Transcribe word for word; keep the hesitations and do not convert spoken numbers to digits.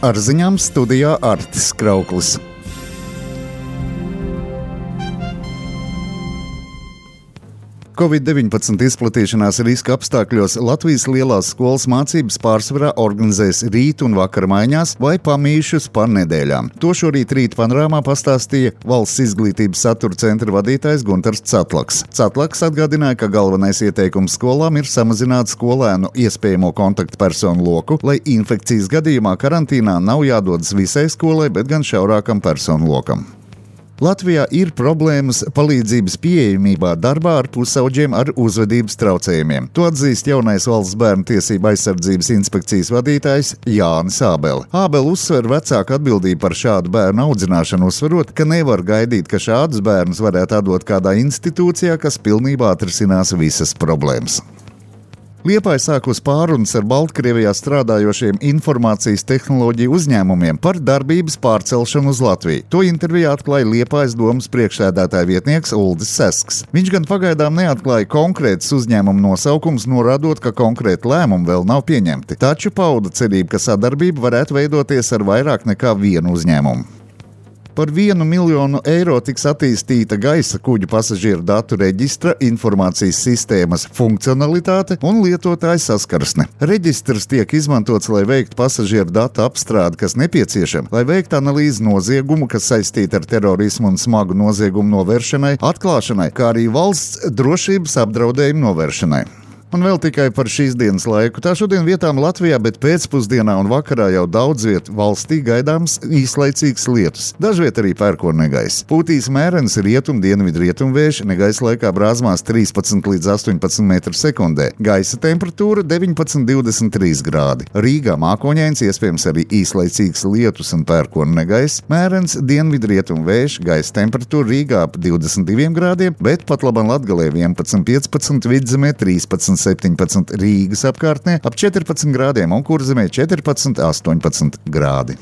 Ar ziņām studijā Artis Krauklis. covid deviņpadsmit izplatīšanās riska apstākļos Latvijas lielās skolas mācības pārsvarā organizēs rīt un vakar maiņās vai pamīšus pa nedēļām. To šorīt rīt panorāmā pastāstīja Valsts izglītības satura centra vadītājs Guntars Catlaks. Catlaks atgādināja, ka galvenais ieteikums skolām ir samazināt skolēnu iespējamo kontaktpersonu loku, lai infekcijas gadījumā karantīnā nav jādodas visai skolai, bet gan šaurākam personu lokam. Latvijā ir problēmas palīdzības pieejamībā darbā ar pusauģiem ar uzvedības traucējumiem. To atzīst jaunais Valsts bērnu tiesību aizsardzības inspekcijas vadītājs Jānis Ābele. Ābele uzsver vecāku atbildību par šādu bērnu audzināšanu, uzsverot, ka nevar gaidīt, ka šādus bērnus varētu atdot kādā institūcijā, kas pilnībā atrisinās visas problēmas. Liepāja sākus pārunas ar Baltkrievijā strādājošiem informācijas tehnoloģiju uzņēmumiem par darbības pārcelšanu uz Latviju. To intervijā atklāja Liepājas domas priekšsēdētāja vietnieks Uldis Sesks. Viņš gan pagaidām neatklāja konkrētus uzņēmumu nosaukums, norādot, ka konkrēti lēmumi vēl nav pieņemti. Taču pauda cerību, ka sadarbība varētu veidoties ar vairāk nekā vienu uzņēmumu. Par vienu miljonu eiro tiks attīstīta gaisa kuģu pasažieru datu reģistra informācijas sistēmas funkcionalitāte un lietotāja saskarsne. Reģistrs tiek izmantots, lai veiktu pasažieru datu apstrādi, kas nepieciešama, lai veiktu analīzi noziegumu, kas saistīta ar terorismu un smagu noziegumu novēršanai, atklāšanai, kā arī valsts drošības apdraudējumu novēršanai. Un vēl tikai par šīs dienas laiku. Tā šodien vietām Latvijā, bet pēcpusdienā un vakarā jau daudz viet valstī gaidāms īslaicīgs lietus. Dažviet arī pērkona negaiss. Pūtīs mērens rietum dienvidu rietumvējš, negaisa laikā brāzmās trīspadsmit līdz astoņpadsmit metru sekundē. Gaisa temperatūra deviņpadsmit līdz divdesmit trīs grādi. Rīgā mākoņains, iespējams arī īslaicīgs lietus un pērkona negaiss. Mērens dienvidu rietumvējš, gaisa temperatūra Rīgā ap divdesmit diviem grādiem, bet pat labam Latgalē vienpadsmit piecpadsmit, Vidzemē trīspadsmit septiņpadsmit, Rīgas apkārtnē ap četrpadsmit grādiem un Kurzemē četrpadsmit astoņpadsmit grādi.